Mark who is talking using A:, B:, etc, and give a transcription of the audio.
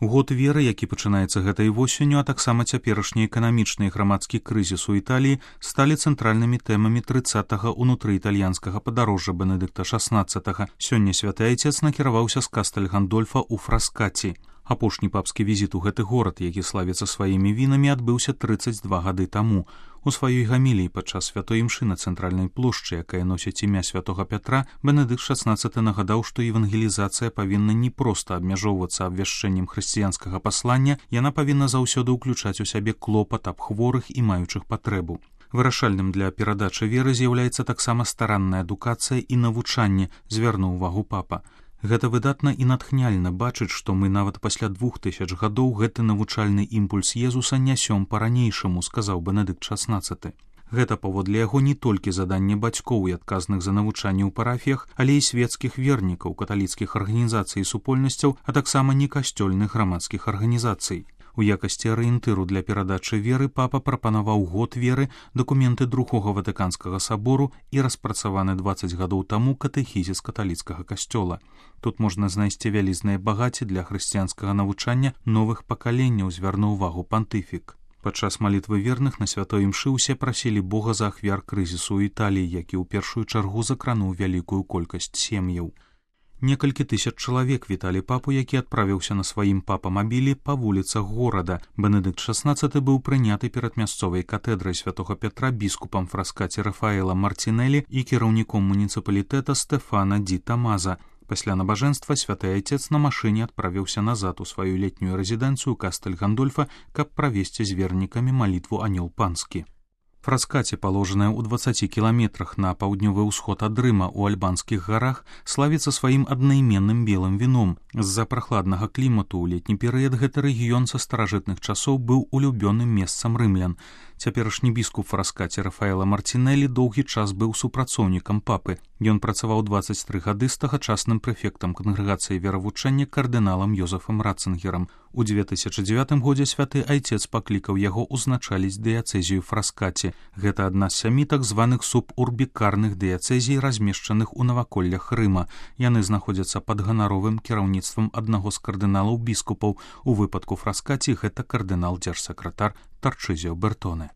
A: Год веры, які пачынаецца гэтай восенню, а таксама цяперашні эканамічны і грамадскі крызіс у Італіі сталі цэнтральнымі тэмамі 30-га ўнутрыітальянскага падарожжа Бенедыкта XVI. Сёння святы айцец накіраваўся з Кастэль Гандольфа ў Фраскаці. Апошні папскі візіт у гэты горад, які славіцца сваімі вінамі, адбыўся 32 гады таму. У сваёй гаміліі падчас святой імшы на цэнтральнай плошчы, якая носіць імя святога Пятра, Бенедыкт XVI нагадаў, што евангелізацыя павінна не проста абмяжоўвацца абвяшчэннем хрысціянскага паслання, яна павінна заўсёды ўключаць у сябе клопат аб хворых і маючых патрэбу. Вырашальным для перадачы веры з'яўляецца таксама старанная адукацыя і навучанне, звярнуў увагу папа. Гэта выдатна і натхняльна бачыць, што мы нават пасля 2000 гадоў гэты навучальны імпульс Езуса нясём па-ранейшаму, сказаў Бенедыкт XVI. Гэта паводле яго не толькі заданне бацькоў і адказных за навучанне ў парафіях, але і свецкіх вернікаў, каталіцкіх арганізацый і супольнасцяў, а таксама некасцёльных грамадскіх арганізацый. У якасці арыентыру для перадачы веры папа прапанаваў год веры, дакументы Другога Ватыканскага сабору і распрацаваны 20 гадоў таму катэхізіс каталіцкага касцёла. Тут можна знайсці вялізнае багацце для хрысціянскага навучання новых пакаленняў, звярнуў увагу пантыфік. Падчас малітвы верных на святой імшы ўсе прасілі Бога за ахвяр крызісу ў Італіі, які ў першую чаргу закрануў вялікую колькасць сем'яў. Некалькі тысяч чалавек віталі папу, які адправіўся на сваім папамабілі па вуліцах горада. Бенедыкт XVI быў прыняты перад мясцовай катэдрай святога Пятра біскупам Фраскаці Рафаэла Мартинелі і кіраўніком муніцыпалітэта Стэфана Ді Тамаза. Пасля набажэнства святы айцец на машыне адправіўся назад у сваю летнюю рэзідэнцыю Кастэль Гандольфа, каб правесці з вернікамі малітву Анёл Панскі. Фраскаці, паложаная ў 20 кіламетрах на паўднёвы ўсход ад Рыма ў альбанскіх гарах, славіцца сваім аднайменным белым віном. З-за прахладнага клімату ў летні перыяд гэты рэгіён са старажытных часоў быў улюбёным месцам рымлян. Цяперашні біскуп Фраскаці Рафаэла Мартинелі доўгі час быў супрацоўнікам папы. Ён працаваў 23 гады з тагачасным прэфектам кангрэгацыі веравучэння кардыналам Йозефам Ратцынгерам. У 2009 годзе святы айцец паклікаў яго ўзначаліць дыяцэзію Фраскаці. Гэта адна з 7 так званых субурбікарных дыяцэзій, размешчаных у наваколлях Рыма. Яны знаходзяцца пад ганаровым кіраўніцтвам аднаго з кардыналаў біскупаў. У выпадку Фраскаці гэта кардынал-дзяржсакратар Тарчызіо Бертоне.